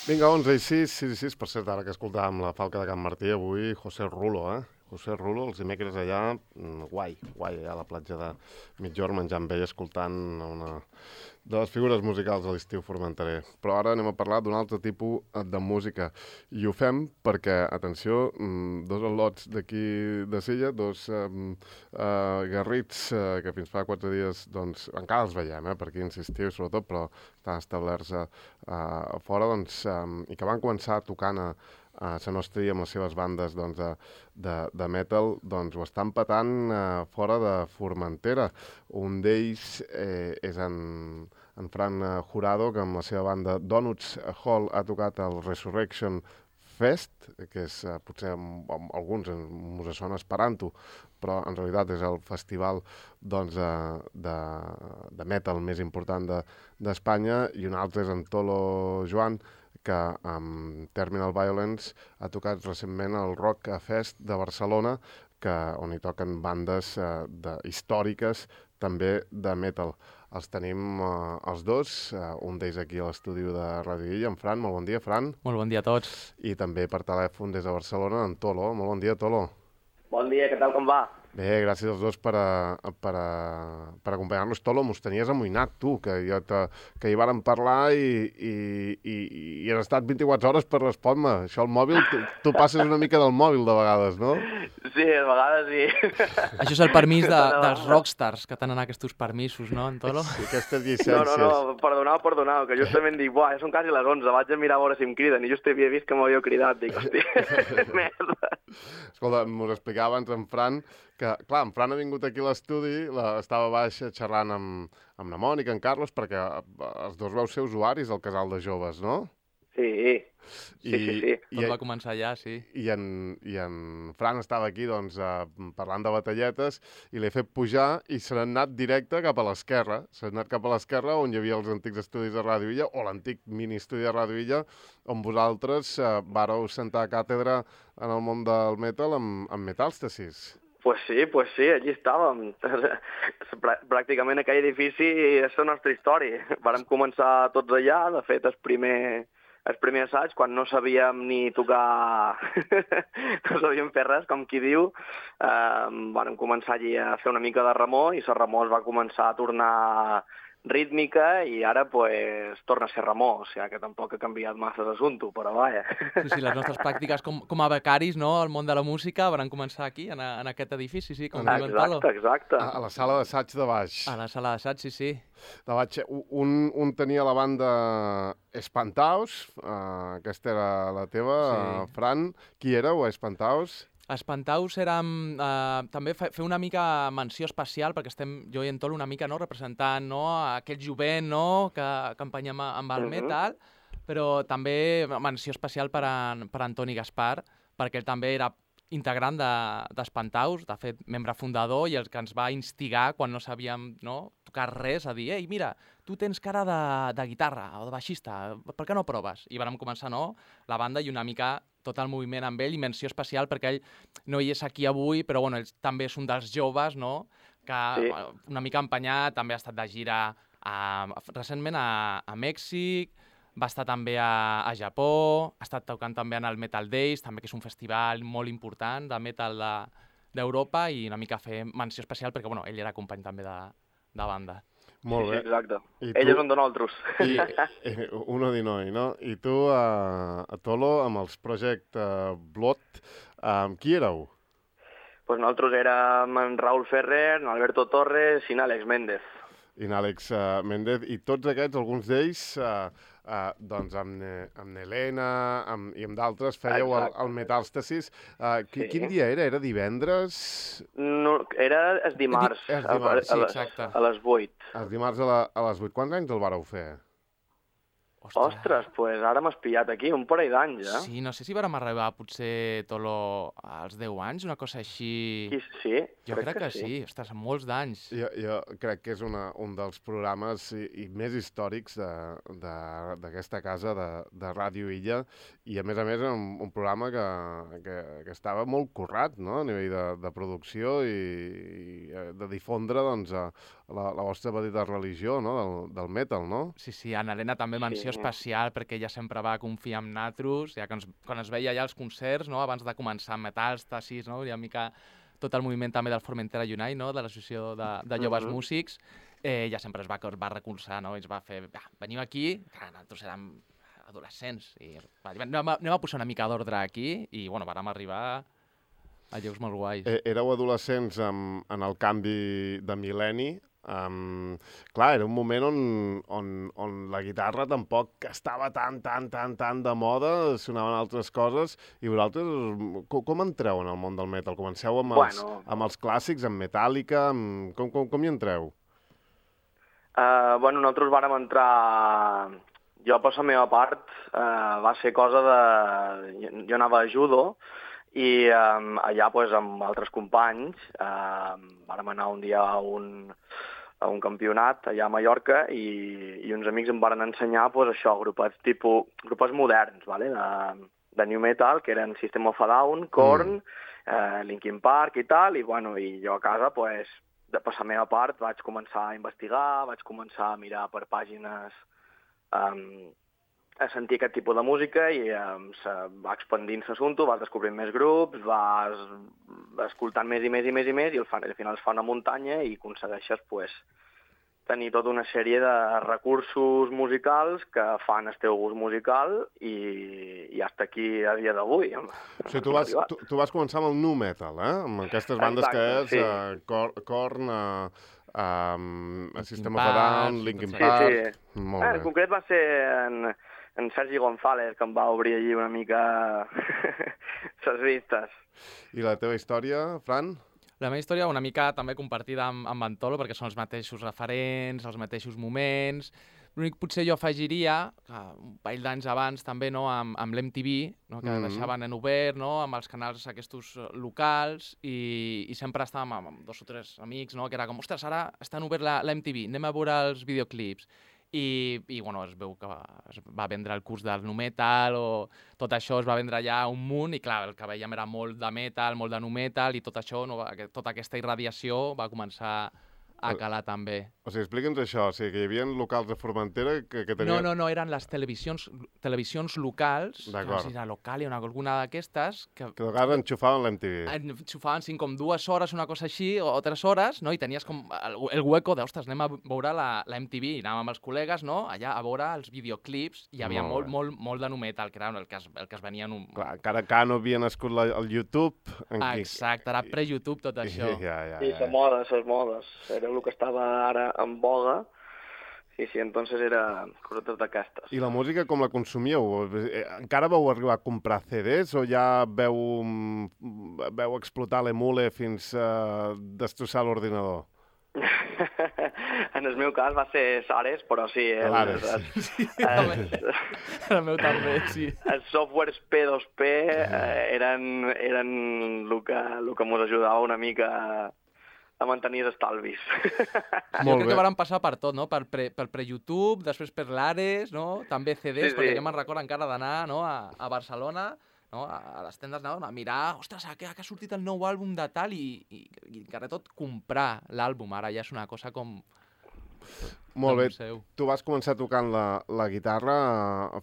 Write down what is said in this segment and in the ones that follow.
Vinga, 11:06, per cert, ara que escoltàvem la Falca de Can Martí, avui José Rulo, José Rulo, els dimecres allà, guai, allà a la platja de Migjorn, menjant bé i escoltant una de les figures musicals de l'estiu formenterer. Però ara anem a parlar d'un altre tipus de música. I ho fem perquè, atenció, dos al·lots d'aquí de Silla, dos garrits que fins fa 4 dies, doncs, encara els veiem, per aquí insistiu, sobretot, però estan establerts fora, doncs, i que van començar tocant a la Nostria amb les seves bandes doncs, de metal, doncs ho estan patant fora de Formentera. Un d'ells és en Fran Jurado, que amb la seva banda Donuts Hall ha tocat el Resurrection Fest, que és potser amb alguns us sona esperant-ho, però en realitat és el festival doncs, de metal més important d'Espanya, i un altre és en Tolo Joan, que amb Terminal Violence ha tocat recentment el Rock Fest de Barcelona, on hi toquen bandes històriques també de metal. Els tenim els dos, un d'ells aquí a l'estudi de Ràdio Illa, en Fran. Molt bon dia, Fran. Molt bon dia a tots. I també per telèfon des de Barcelona, en Tolo. Molt bon dia, Tolo. Bon dia, què tal, com va? Bé, gràcies als dos per acompanyar-nos. Tolo, mos tenies amoïnat, tu, que hi vàrem parlar i has estat 24 hores per respondre. Això, el mòbil, tu passes una mica del mòbil de vegades, no? Sí, de vegades sí. Això és el permís dels rockstars, que tenen aquests permisos, no, en Tolo? Sí, aquestes llicències. No, perdoneu, que justament dic, buah, ja són quasi les 11, vaig a mirar a veure si em criden, i just havia vist que m'havia cridat, dic, hòstia, merda. Escolta, m'ho explicava abans en Fran, que, clar, en Fran ha vingut aquí a l'estudi, estava baix xerrant amb la Mònica, en Carlos, perquè els dos vau ser usuaris del casal de joves, no? Sí. Tot va començar allà, sí. I en Fran estava aquí, doncs, parlant de batalletes, i l'he fet pujar i se n'ha anat directe cap a l'esquerra. Se n'ha anat cap a l'esquerra, on hi havia els antics estudis de Ràdio Illa, o l'antic mini-estudi de Ràdio Illa, on vosaltres vàreu sentar càtedra en el món del metal amb Metàlstasis. Pues sí, allí estàvem. Pràcticament aquell edifici és la nostra història. Vàrem començar tots allà, de fet, el primer assaig, quan no sabíem ni tocar, no sabíem fer res, com qui diu, vàrem començar allí a fer una mica de remor, i la remor es va començar a tornar rítmica, i ara pues torna a ser remor, o sigui que tampoc ha canviat massa l'assumpte, però vaja. Sí, les nostres pràctiques com a becaris, no?, al món de la música, van començar aquí, en aquest edifici, sí, com diu en Tolo. Exacte. A la sala d'assaig de baix. A la sala d'assaig, sí. De baix. Un tenia la banda Espantaos, aquesta era la teva, sí. Fran. Qui éreu, Espantaos? Espantaus érem... també fer una mica menció especial, perquè estem jo i en Tolo una mica representant aquest jovent que empenyem amb el metal, però també menció especial per Antoni Gaspar, perquè ell també era integrant d'Espantaus, de fet, membre fundador, i el que ens va instigar quan no sabíem tocar res, a dir, ei, mira, tu tens cara de guitarra o de baixista, per què no proves? I vam començar la banda i una mica tot el moviment amb ell, i menció especial perquè ell no hi és aquí avui, però bueno, ell també és un dels joves, que una mica empenyat, també ha estat de gira recentment a Mèxic, va estar també a Japó, ha estat tocant també en el Metal Days, també que és un festival molt important de metal d'Europa, i una mica fer menció especial perquè bueno, ell era company també de banda. Molt bé. Sí, exacte. Ell és un de nosaltres. Uno di noi, no? I tu, a Tolo, amb els Project Blood, qui éreu? Pues nosaltres érem en Raúl Ferrer, en Alberto Torres i en Àlex Méndez. I en Àlex Méndez, i tots aquests, alguns d'ells, doncs amb Helena i amb d'altres, fèieu el Metàlstasis. Quin dia era? Era divendres? No, era el dimarts, exacte. A les 8. El dimarts a les 8. Quants anys el vareu fer? Ostres, pues ara m'has pillat aquí, un parell d'anys, eh? Sí, no sé si vàrem arribar potser, Tolo, als 10 anys, una cosa així... Sí, jo crec que sí. Ostres, molts d'anys. Jo crec que és un dels programes i més històrics d'aquesta casa de Ràdio Illa, i a més un programa que estava molt currat, no?, a nivell de producció i de difondre doncs, la vostra petita religió, no?, del metal, no? Sí, en Helena també menció especial perquè ella sempre va confiar en nosaltres, ja que quan es veia allà als concerts, no? Abans de començar amb Metàlstasis, no? I una mica tot el moviment també del Formentera Unite, no? De l'associació de joves músics, ella sempre es va recolzar, no? I ens va fer, veniu aquí, que nosaltres érem adolescents, i anem a posar una mica d'ordre aquí, i bueno, vàrem arribar a llocs molt guais. Éreu adolescents en el canvi de mil·lenni. Clar, era un moment on la guitarra tampoc estava tan de moda, sonaven altres coses, i vosaltres com entreu en el món del metal? Comenceu amb els clàssics, amb Metallica, com hi entreu? Nosaltres vàrem entrar... Jo, per la meva part, va ser cosa de... Jo anava a judo, i allà, amb altres companys, vàrem anar un dia a un campionat allà a Mallorca i uns amics em van ensenyar això, grupets moderns, vale? De new metal, que eren System of a Down, Korn, Linkin Park i tal, i jo a casa, per la meva part, vaig començar a investigar, vaig començar a mirar per pàgines, a sentir aquest tipus de música i va expandint l'assumpte, vas descobrint més grups, vas escoltant més i al final es fa una muntanya i aconsegueixes tenir tota una sèrie de recursos musicals que fan el teu gust musical i hasta aquí a dia d'avui. O sigui, tu vas començar amb el nu metal, amb aquestes bandes que és Korn, System of a Down, Linkin Park... En concret va ser en Sergi González, que em va obrir allí una mica les vistes. I la teva història, Fran? La meva història una mica també compartida amb Antolo, perquè són els mateixos referents, els mateixos moments. L'únic potser jo afegiria, que un parell d'anys abans també, no, amb l'MTV, no, que deixaven en obert, no, amb els canals aquests locals, i sempre estàvem amb 2 o 3 amics, no, que era com, ostres, ara està en obert l'MTV, anem a veure els videoclips. I bueno, es veu que es va vendre el curs del nu metal o tot això es va vendre allà un munt i clar, el que veiem era molt de metal, molt de nu metal i tot això, no, tota aquesta irradiació va començar a calar també. O sigui, explica'ns això, o sigui, que hi havia locals de Formentera que tenien... No, eren les televisions locals, que no sé si era local o alguna d'aquestes... Que de vegades enxufaven l'MTV. Enxufaven com 2 hores, una cosa així, o 3 hores, no? I tenies com el hueco de, ostres, anem a veure la MTV, i anàvem amb els col·legues, no? Allà a veure els videoclips, hi havia molt de nu metal, que era el que es venia en un... Clar, encara no havia nascut el YouTube. Exacte, era pre-YouTube tot això. Sí, les modes, era el que estava ara en boga. Sí, entonces era coses d'aquestes. I la música com la consumíeu? Encara vau arribar a comprar CDs o ja veu explotar l'emule fins a destrossar l'ordinador? En el meu cas va ser Sares, però sí. El meu també, sí. Els softwares P2P eren el que ens ajudava una mica a mantenir els estalvis. Jo crec que van passar per tot, no? Per pre-YouTube, després per l'Ares, no? També CDs, perquè jo me'n recordo encara d'anar, no? A Barcelona, no? A les tendes a mirar, ostres, que ha sortit el nou àlbum de tal i encara tot comprar l'àlbum. Ara ja és una cosa com... Molt bé. Tu vas començar tocant la guitarra,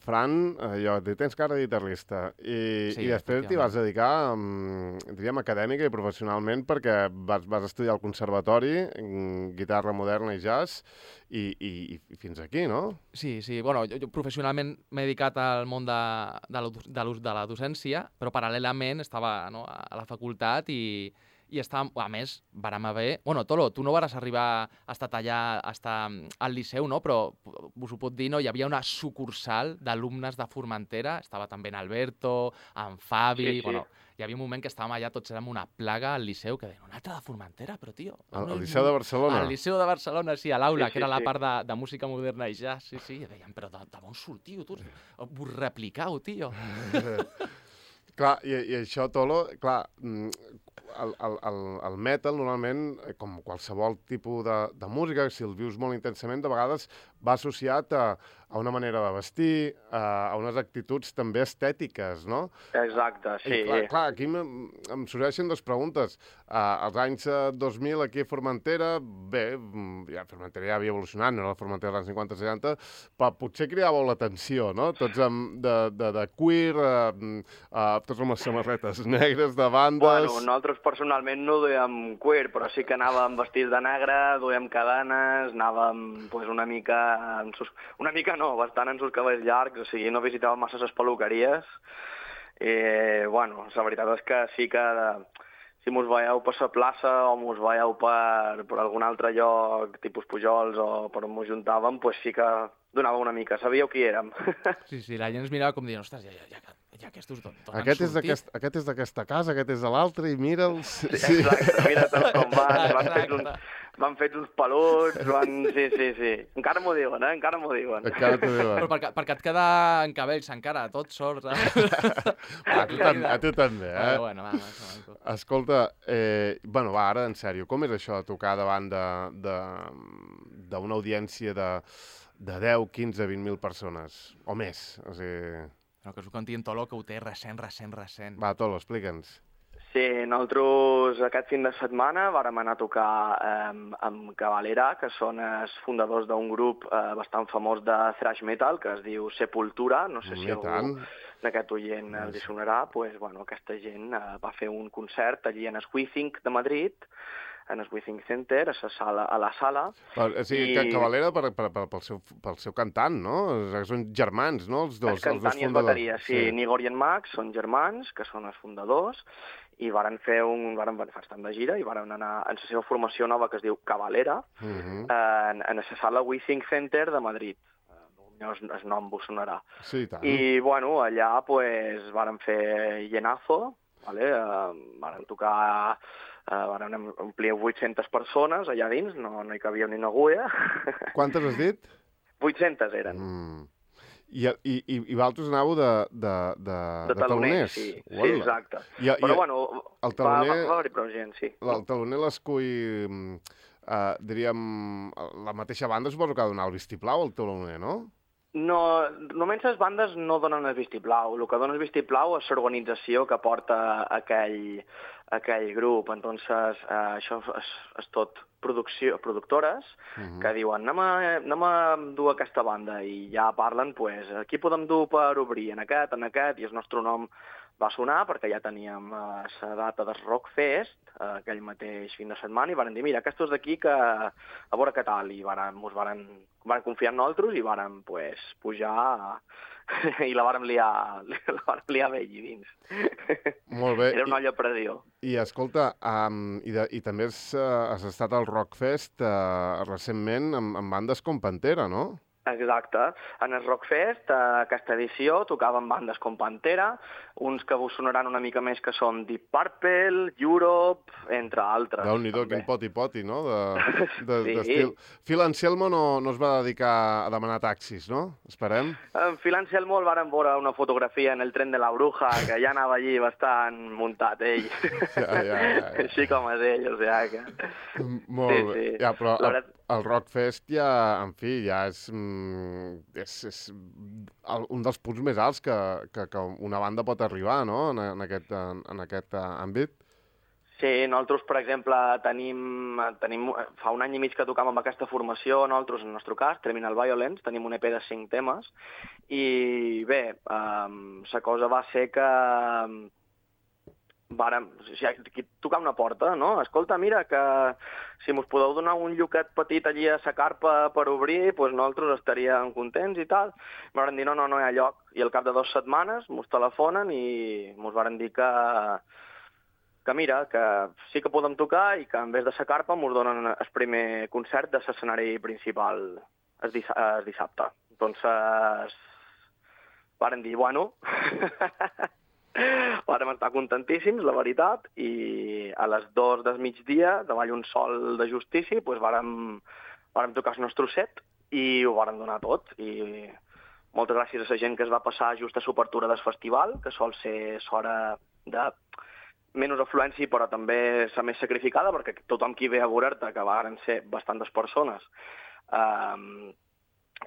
Fran, jo et dic, tens cara de guitarrista, i després t'hi vas dedicar, diríem, acadèmica i professionalment, perquè vas estudiar al conservatori, guitarra moderna i jazz, i fins aquí, no? Sí, bueno, jo professionalment m'he dedicat al món de la docència, però paral·lelament estava a la facultat i a més, vàrem haver... Bueno, Tolo, tu no vas arribar a estar allà, a estar al Liceu, no? Però us ho pot dir, no? Hi havia una sucursal d'alumnes de Formentera, estava també en Alberto, en Fabi... Sí. Bueno, hi havia un moment que estàvem allà tots érem una plaga al Liceu, que deien, un altre de Formentera, però, tio... Al Liceu de Barcelona? Al Liceu de Barcelona, sí, a l'aula, que era la part de música moderna i jazz, sí, i deien, però d'on sortiu, tu? Vos repliqueu, tio. Clar, i això, Tolo, clar... El metal, normalment, com qualsevol tipus de música, si el vius molt intensament, de vegades va associat a una manera de vestir, a unes actituds també estètiques, no? Exacte, sí. I clar, aquí em sorgeixen dues preguntes. Als anys 2000 aquí a Formentera, bé, Formentera ja havia evolucionat, no era la Formentera dels anys 50-60, però potser cridàveu l'atenció, no? Tots de queer, tots amb les samarretes negres de bandes... Bueno, nosaltres personalment no duíem queer, però sí que anàvem vestits de negre, duíem cadenes, anàvem pues, una mica no, bastant en sus cabells llargs, o sigui, no visitàvem massa les peluqueries. Bueno, la veritat és que sí que si mos veieu per la plaça o mos veieu per algun altre lloc, tipus Pujols o per on mos juntàvem, pues sí que donava una mica, sabíeu qui érem. Sí, la gent ens mirava com dient, ostres, ja aquests d'on han sortit? Aquest és d'aquesta casa, aquest és de l'altre, i mira'ls... Sí. Exacte, mira tot com van fets uns peluts, Sí. Encara m'ho diuen, encara m'ho diuen. Encara t'ho diuen. Però perquè et queda en cabells encara, tot sort. A tu també, eh? Bueno, va. Escolta, bueno, va, ara, en sèrio, com és això de tocar davant d'una audiència de 10, 15, 20.000 persones? O més, o sigui... No, que us ho conti en Tolo, que ho té recent. Va, Tolo, explica'ns. Sí, nosaltres aquest fin de setmana vàrem anar a tocar amb Cavalera, que són els fundadors d'un grup bastant famós de thrash metal, que es diu Sepultura. No sé si algú d'aquest oient els hi sonarà. Pues, bueno, aquesta gent va fer un concert allí en el WeThink de Madrid, en el WeThink Center, a la sala. Sí, Cavalera pel seu cantant, no? Són germans, no? Els dos cantant i el bateria, sí. Nigor i en Max són germans, que són els fundadors, i varen fer estar de gira i varen anar en la seva formació nova que es diu Cavalera, en la sala WeThink Center de Madrid. El nom vos sonarà. Sí, tant. I, bueno, allà pues, varen fer llenazo, varen tocar... Varen omplir 800 persones allà dins, no hi cabia ni una agulla. Quantes has dit? 800 eren. I vosaltres anàveu de taloners? Sí, exacte. Però, bueno, el taloner, va haver-hi prou gent, sí. El taloner l'escull, diríem, la mateixa banda suposo que ha de donar el vistiplau al taloner, no? No, només les bandes no donen el vistiplau. El que dona el vistiplau és l'organització que porta aquell grup. Entonces, això és tot productores que diuen anem a dur aquesta banda i ja parlen, pues, aquí podem dur per obrir en aquest, i el nostre nom va sonar perquè ja teníem la data del Rockfest aquell mateix fin de setmana i van dir, mira, aquests d'aquí que a veure què tal, i van confiar en nosaltres i van pues, pujar i la vàrem liar bé allí dins. Molt bé. Era una olla a pressió. I escolta, i també has estat al Rockfest recentment amb bandes com Pantera, no? Exacte. En el Rockfest, aquesta edició, tocaven bandes com Pantera, uns que vos sonaran una mica més que són Deep Purple, Europe, entre altres. Déu-n'hi-do, quin poti-poti, no? Sí. Phil Anselmo no es va dedicar a demanar taxis, no? Esperem. En Phil Anselmo el varen veure una fotografia en el tren de la Bruja, que ja anava allí bastant muntat, ell. Ja. Així com és ell, o sigui que... Molt bé. Sí. Ja, però el Rockfest ja, en fi, ja és un dels punts més alts que una banda pot arribar, no?, en aquest àmbit. Sí, nosaltres, per exemple, tenim fa un any i mig que tocam amb aquesta formació, nosaltres, en el nostre cas, Terminal Violence, tenim un EP de 5 temes, i bé, la cosa va ser que tocar una porta, no? Escolta, mira, que si mos podeu donar un lloquet petit allí a la carpa per obrir, doncs nosaltres estaríem contents i tal. M'han dit, no hi ha lloc. I al cap de 2 setmanes mos telefonen i mos van dir que mira, que sí que podem tocar i que en vez de la carpa mos donen el primer concert de l'escenari principal el dissabte. Entonces, van dir, bueno... Vàrem estar contentíssims, la veritat, i a les 2 del migdia, davall un sol de justícia, doncs vàrem tocar el nostre set i ho vàrem donar tot. I moltes gràcies a la gent que es va passar just a l'obertura del festival, que sol ser l'hora de menys afluència, però també la més sacrificada, perquè tothom qui ve a veure-te, que varen ser bastantes persones,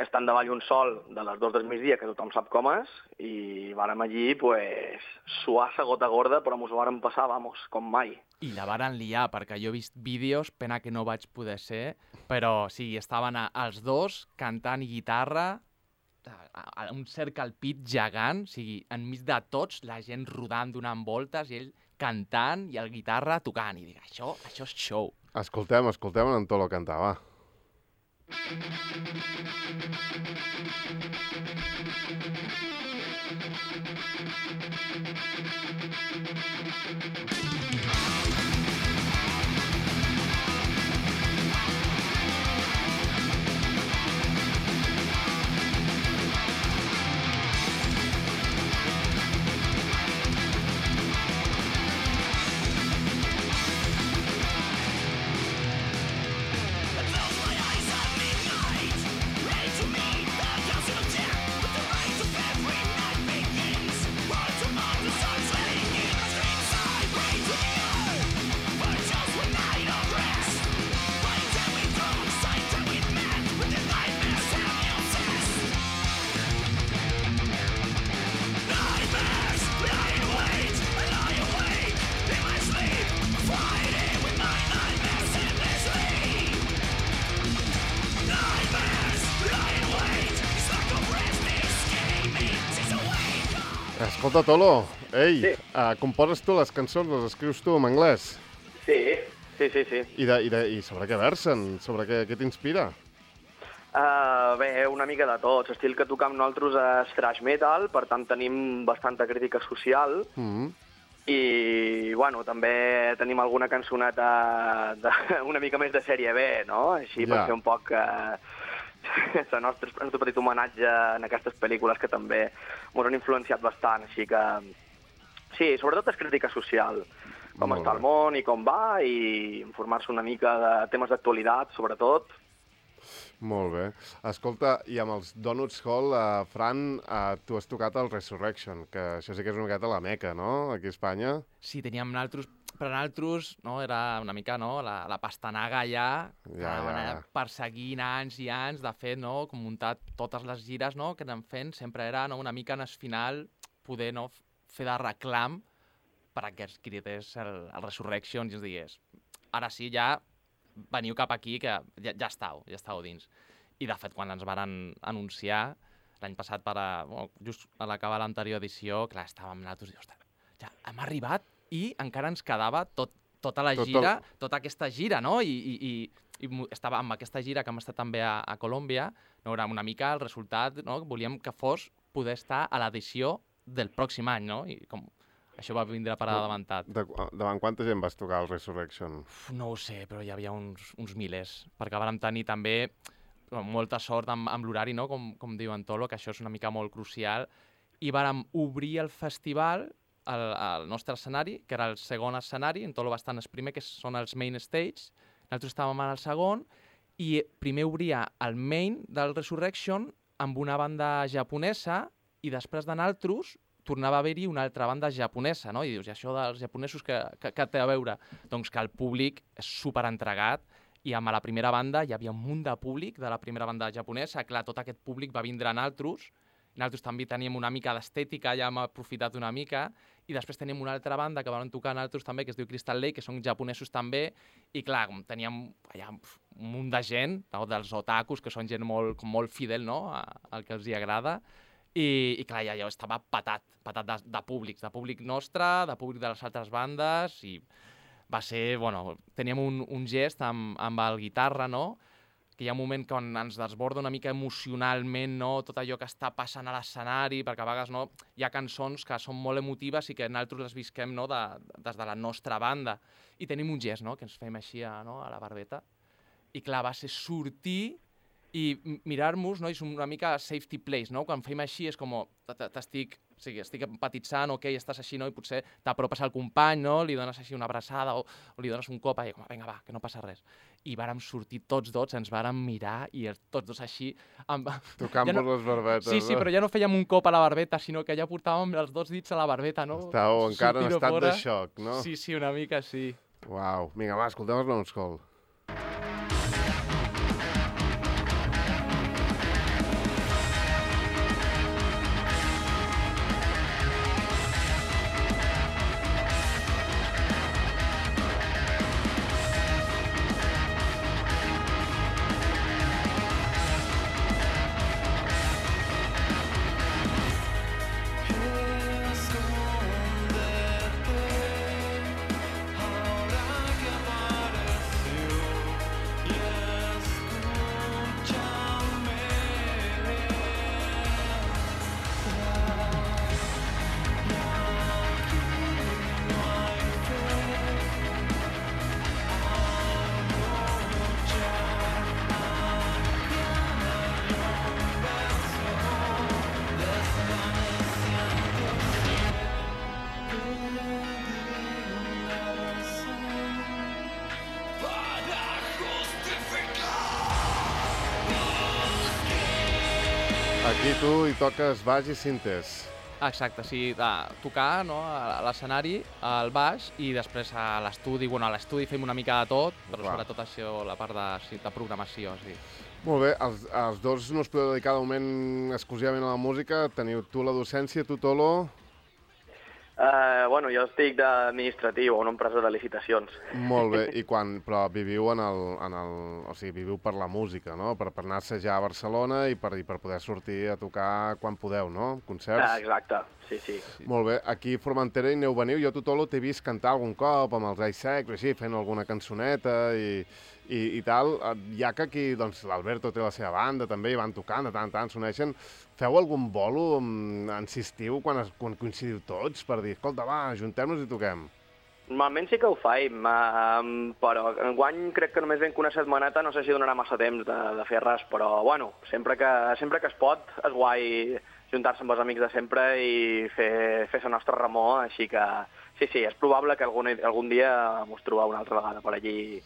estant davall un sol de les 2 del migdia, que tothom sap com és, i vàrem allí, pues, suar sa gota gorda, però mos ho vàrem passar, vamos, com mai. I la varen liar, perquè jo he vist vídeos, pena que no vaig poder ser, però sí, estaven els dos cantant guitarra, un cercle al pit gegant, o sigui, enmig de tots, la gent rodant, donant voltes, i ell cantant i el guitarra tocant. I dic, això és show. Escoltem en Tolo cantar, va. Escolta, Tolo, ei, Sí. composes tu les cançons, les escrius tu en anglès? Sí. I sobre què versen? Sobre què t'inspira? Bé, una mica de tot. L'estil que tocam nosaltres és thrash metal, per tant tenim bastanta crítica social, i, bueno, també tenim alguna cançoneta una mica més de sèrie B, no? Així per fer un poc el nostre petit homenatge en aquestes pel·lícules que també ens han influenciat bastant, així que sí, sobretot és crítica social, com està el món i com va, i informar-se una mica de temes d'actualitat, sobretot. Molt bé. Escolta, i amb els Donuts Hall, Fran, tu has tocat el Resurrection, que això sí que és una miqueta la meca, no?, aquí a Espanya. Sí, teníem naltros, per naltros, no, era una mica, no, la pastanaga ja, perseguint anys i anys, de fet, no, com muntat totes les gires, no, que anem fent, sempre era, no, una mica en el final poder, no, fer de reclam per a que es cridés el Resurrection i ens digués, ara sí, ja veniu cap aquí, que ja estàu dins. I, de fet, quan ens van anunciar, l'any passat, just a l'acabar l'anterior edició, clar, estàvem nosaltres i, ostres, ja hem arribat i encara ens quedava tota la gira, tota aquesta gira, no? I estava amb aquesta gira que hem estat també a Colòmbia, no, era una mica el resultat, no? Volíem que fos poder estar a l'edició del pròxim any, no? I com això va vindre per adelantat. Davant quanta gent vas tocar el Resurrection? No ho sé, però hi havia uns milers, perquè vam tenir també molta sort amb l'horari, no? Com diu en Tolo, que això és una mica molt crucial, i vàrem obrir el festival al nostre escenari, que era el segon escenari, en Tolo va estar en el primer, que són els main stage, nosaltres estàvem en el segon, i primer obria el main del Resurrection amb una banda japonesa, i després de nosaltres tornava a haver-hi una altra banda japonesa, no? I dius, i això dels japonesos que té a veure? Doncs que el públic és superentregat, i amb la primera banda hi havia un munt de públic de la primera banda japonesa. Clar, tot aquest públic va vindre a nosaltres, nosaltres també teníem una mica d'estètica, ja hem aprofitat una mica, i després tenim una altra banda que van tocar nosaltres també, que es diu Crystal Lake, que són japonesos també, i clar, teníem allà un munt de gent, no? Dels otakus, que són gent molt fidel, no? Al que els hi agrada, i clar, ja estava patat de públic nostre, de públic de les altres bandes, i va ser, bueno, teníem un gest amb el guitarra, no?, que hi ha un moment quan ens desborda una mica emocionalment, no?, tot allò que està passant a l'escenari, perquè a vegades, no?, hi ha cançons que són molt emotives i que nosaltres les visquem, no?, des de la nostra banda. I tenim un gest, no?, que ens fem així, no?, a la barbeta. I clar, va ser sortir i mirar-nos, no?, és una mica safety place, no?, quan fem així és com, estic empatitzant, ok, estàs així, no?, i potser t'apropes al company, no?, li dones així una abraçada o li dones un cop, i com, vinga, va, que no passa res. I vàrem sortir tots dos, ens vàrem mirar i tots dos així... Tocant-vos les barbetes. Sí, però ja no fèiem un cop a la barbeta, sinó que ja portàvem els dos dits a la barbeta, no? Estàveu encara en estat de xoc, no? Sí, una mica sí. Uau, vinga, va, escoltem els Donuts Hall. I tu hi toques baix i sintes. Exacte, sí, tocar no, a l'escenari, al baix, i després a l'estudi. Bueno, a l'estudi fem una mica de tot, però sobretot això, la part de programació, sí. Molt bé, els dos no us podeu dedicar de moment exclusivament a la música. Teniu tu la docència, tu, Tolo? Bueno, jo estic d'administratiu a una empresa de licitacions. Molt bé, però viviu o sigui, viviu per la música, no? Per anar a assajar a Barcelona i per poder sortir a tocar quan podeu, no? Concerts? Exacte, sí. Molt bé, aquí a Formentera hi aneu veniu. Jo, tu, Tolo, t'he vist cantar algun cop amb els Ais Secs, així, fent alguna cançoneta i tal. Ja que aquí, doncs, l'Alberto té la seva banda, també hi van tocant, de tant en tant s'uneixen. Feu algun bolo, insistiu, quan coincidiu tots, per dir, escolta, va, ajuntem-nos i toquem? Normalment sí que ho faim, però enguany crec que només vam que una setmaneta, no sé si donarà massa temps de fer res, però, bueno, sempre que es pot, és guai juntar-se amb els amics de sempre i fer la nostra remor, així que sí, és probable que algun dia mos trobeu una altra vegada per allí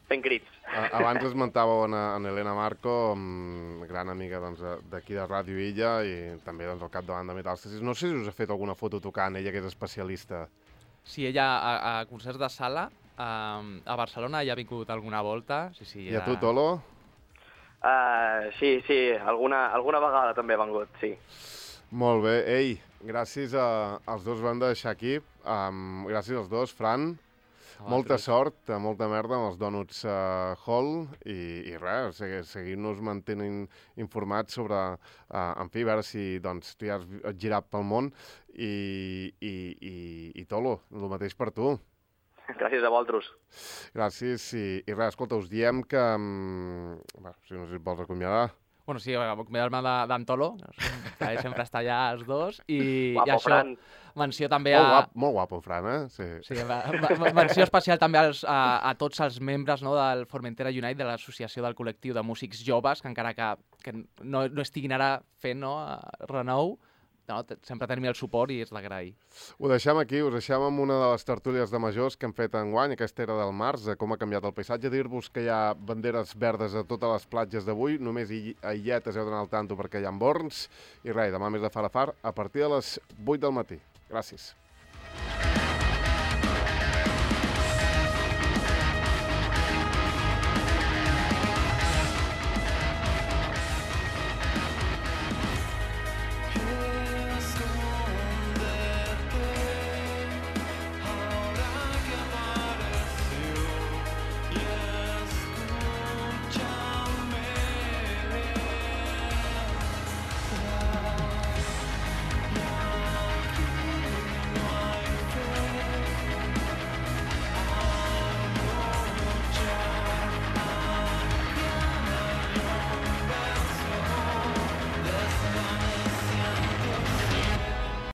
fent crits. Abans esmentàveu a Elena Marco, gran amiga d'aquí de Ràdio Illa i també al capdavant de Metàstasis. No sé si us ha fet alguna foto tocant, ella que és especialista. Sí, ella a concerts de sala a Barcelona ja ha vingut alguna volta. Sí, I a tu, Tolo? Sí, alguna vegada també ha vengut, sí. Molt bé. Ei, gràcies als dos van deixar aquí. Gràcies als dos, Fran. Molta sort, molta merda amb els Donuts Hall i res, seguir-nos mantenint informats sobre, en fi, a veure si doncs, tu ja has girat pel món i Tolo, el mateix per tu. Gràcies a vosaltres. Gràcies i res, escolta, us diem que, si no sé si et vols acomiadar. Bueno, sí, acomiadar-me d'en Tolo, que sempre està allà els dos, i Guapo, això, Fran. menció també a... Molt guapo, Fran, eh? Sí, menció especial també a tots els membres del Formentera Unite, de l'associació del col·lectiu de músics joves, que encara que no estiguin ara fent renou, sempre tenim el suport i és d'agrair. Ho deixem aquí, us deixem amb una de les tertúlies de majors que hem fet enguany, aquesta era del març, de com ha canviat el paisatge. Dir-vos que hi ha banderes verdes a totes les platges d'avui, només a Illetes heu d'anar al tanto perquè hi ha borns, i res, demà més de far a far, a partir de les 8 del matí. Gràcies.